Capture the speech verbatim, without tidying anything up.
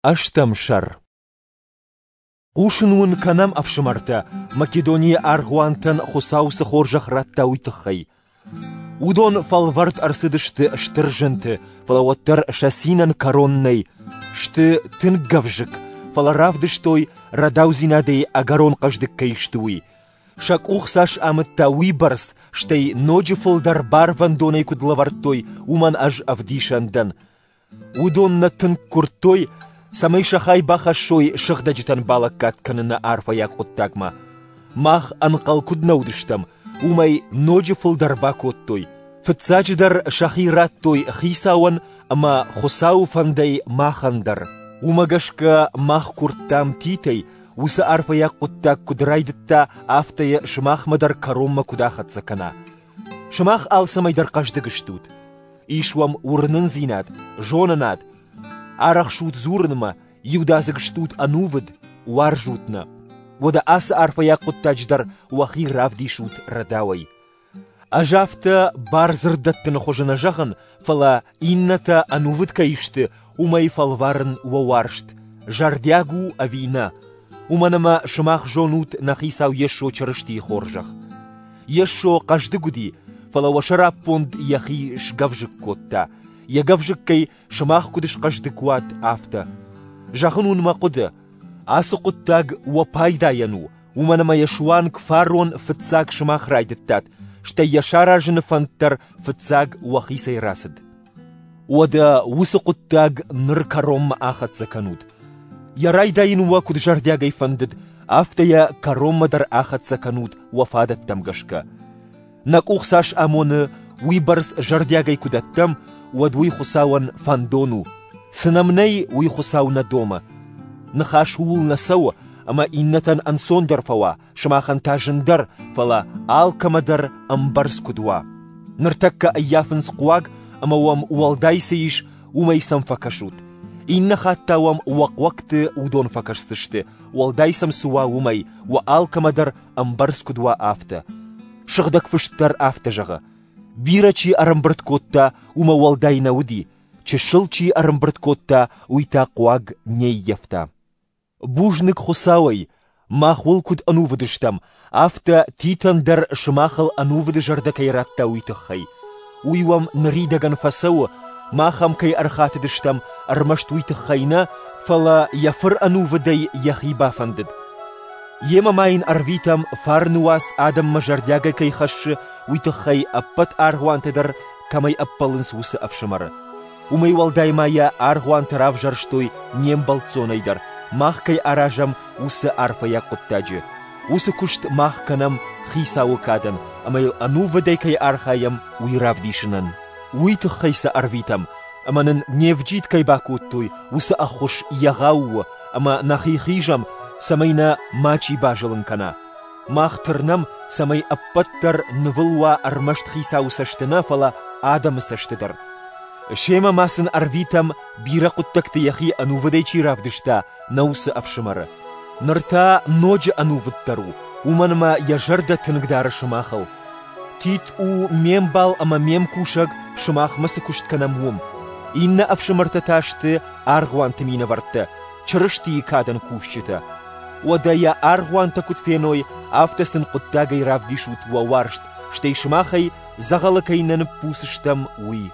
Ӕстӕм сӕр. Хъусын уын кӕнӕм, ӕфсымӕртӕ, Македонийы аргъуантӕн Хуыцау цы хорзӕх радта, уый тыххӕй. Уыдон фӕлвӕрд ӕрцыдысты стыр зынты, фӕлӕ уӕддӕр сӕ цинӕн кӕрон нӕй. Сты тынг гӕвзыкк, фӕлӕ равдыстой, рӕдаудзинадӕй ӕгӕрон хъӕздыг кӕй сты, уый. Сӕ къух цас амыдта, уыйбӕрц, стӕй ноджы фылдӕр барвӕндонӕй куыд лӕвӕрдтой, уымӕн ӕз ӕвдисӕн дӕн. Уыдон нӕ тынг куырдтой, цӕмӕй сӕ хай бахӕссой сыгъдӕджытӕн балӕггад кӕныны арфӕйаг хъуыддагмӕ. Мах ӕнхъӕл куыд нӕ уыдыстӕм, уымӕй ноджы фылдӕр бакодтой. Фыццаджыдӕр сӕхи радтой Хицауӕн ӕмӕ Хуыцауы фӕндӕй махӕн дӕр. Уымӕ гӕсгӕ мах куырдтам Титӕй, уыцы арфӕйаг хъуыддаг куыд райдыдта, афтӕ йӕ сымахмӕ дӕр кӕронмӕ куыд ахӕццӕ кӕна. Сымах алцӕмӕй дӕр хъӕздыг стут. Ис уӕм уырнындзинад, зонынад, арӕхсут дзурынмӕ, иудадзыг стут ӕнувыд, уарзут нӕ. Уӕдӕ ацы арфӕйаг хъуыддаджы дӕр уӕхи равдисут рӕдауӕй. Ӕз афтӕ бардзырд дӕттыны хуызы нӕ зӕгъын, фӕлӕ иннӕтӕ ӕнувыд кӕй сты, уымӕй фӕлварын уӕ уарзт, зӕрдиаг у ӕви нӕ. Уымӕн ӕмӕ сымах зонут нӕ Хицау Йесо Чырыстийы хорзӕх. Йесо хъӕздыг уыди, фӕлӕ уӕ сӕраппонд йӕхи сгӕвзыкк кодта, йӕ гӕвзыккӕй сымах куыд схъӕздыг уат, афтӕ. Зӕгъын уын мӕ хъуыды, ацы хъуыддаг уӕ пайдайӕн у, уымӕн ӕмӕ йӕ суанг фарон фыццаг сымах райдыдтат, стӕй йӕ саразыны фӕнд дӕр фыццаг уӕхицӕй рацыд. Уӕдӕ уыцы хъуыддаг ныр кӕронмӕ ахӕццӕ кӕнут. Йӕ райдайын уӕ куыд зӕрдиагӕй фӕндыд, афтӕ йӕ кӕронмӕ дӕр ахӕццӕ кӕнут уӕ фадӕттӕм гӕсгӕ. Нӕ къух цас амоны, уыйбӕрц зӕрдиагӕй куы дӕттӕм, уӕд уый Хуыцауӕн фӕндон у. Цы нӕм нӕй, уый Хуыцау нӕ домы. Ныхас ууыл нӕ цӕуы, ӕмӕ иннӕтӕн ӕнцондӕр фӕуа, сымахӕн та зындӕр, фӕлӕ алкӕмӕ дӕр ӕмбӕрц куыд уа. Ныртӕккӕ ӕййафынц хъуаг, ӕмӕ уӕм уӕлдай цы ис, уымӕй сӕм фӕкӕсут. Иннӕ хатт та уӕм уӕ хъуӕгты уыдон фӕкӕсдзысты, уӕлдай сӕм цы уа, уымӕй, уӕ алкӕмӕ дӕр ӕмбӕрц куыд уа, афтӕ. Сыгъдӕг фыст дӕр афтӕ зӕгъы: бирӕ чи ӕрӕмбырд кодта, уымӕ уӕлдай нӕ уыди, чысыл чи ӕрӕмбырд кодта, уый та хъуаг не ййӕфта. Бузныг Хуыцауӕй, мах уыл куыд ӕнувыд стӕм, афтӕ Титӕн дӕр сымахыл ӕнувыды зӕрдӕ кӕй радта, уый тыххӕй. Уый уӕм ныридӕгӕн фӕцӕуы, мах ӕм кӕй ӕрхатыдыстӕм, ӕрмӕст уый тыххӕй нӕ, фӕлӕ йӕ фыр ӕнувыдӕй йӕхи бафӕндыд. Йемӕ ма йын ӕрвитӕм, фарны уац адӕммӕ зӕрдиагӕй кӕй хӕссы, уый тыххӕй ӕппӕт аргъуантӕ дӕр кӕмӕй ӕппӕлынц, уыцы ӕфсымӕры. Уымӕй уӕлдай ма йӕ аргъуантӕ равзӕрстой не мбӕлццонӕй дӕр, мах кӕй аразӕм, уыцы арфӕйаг хъуыддаджы. Уыцы куыст мах кӕнӕм Хицауы кадӕн, ӕмӕ йыл ӕнувыдӕй кӕй архайӕм, уый равдисынӕн. Уый тыххӕй сӕ ӕрвитӕм, ӕмӕ нын не вджид кӕй бакодтой, уыцы ӕххуыс егъау у, ӕмӕ нӕхи хизӕм, цӕмӕй нӕ мачи базылын кӕна. Мах тырнӕм, цӕмӕй ӕппӕт дӕр нывыл уа ӕрмӕст Хицауы цӕсты нӕ, фӕлӕ адӕмы цӕсты дӕр. Семӕ ма сын ӕрвитӕм, бирӕ хъуыддӕгты йӕхи ӕнувыдӕй чи равдыста, нӕ уыцы ӕфсымӕры. Ныр та ноджы ӕнувыддӕр у, уымӕн ӕмӕ йӕ зӕрдӕ тынг дары сымахыл. Тит у ме мбал ӕмӕ ме мкусӕг, сымахмӕ цы куыст кӕнӕм, уым. Иннӕ ӕфсымӕртӕ та сты аргъуанты минӕвӕрттӕ, Чырыстийы кадӕн кусджытӕ. Уӕдӕ йӕ аргъуантӕ куыд феной, афтӕ сын хъуыддагӕй равдисут уӕ уарзт, стӕй сымахӕй дзӕгъӕлы кӕй нӕ ныппуц стӕм, уый.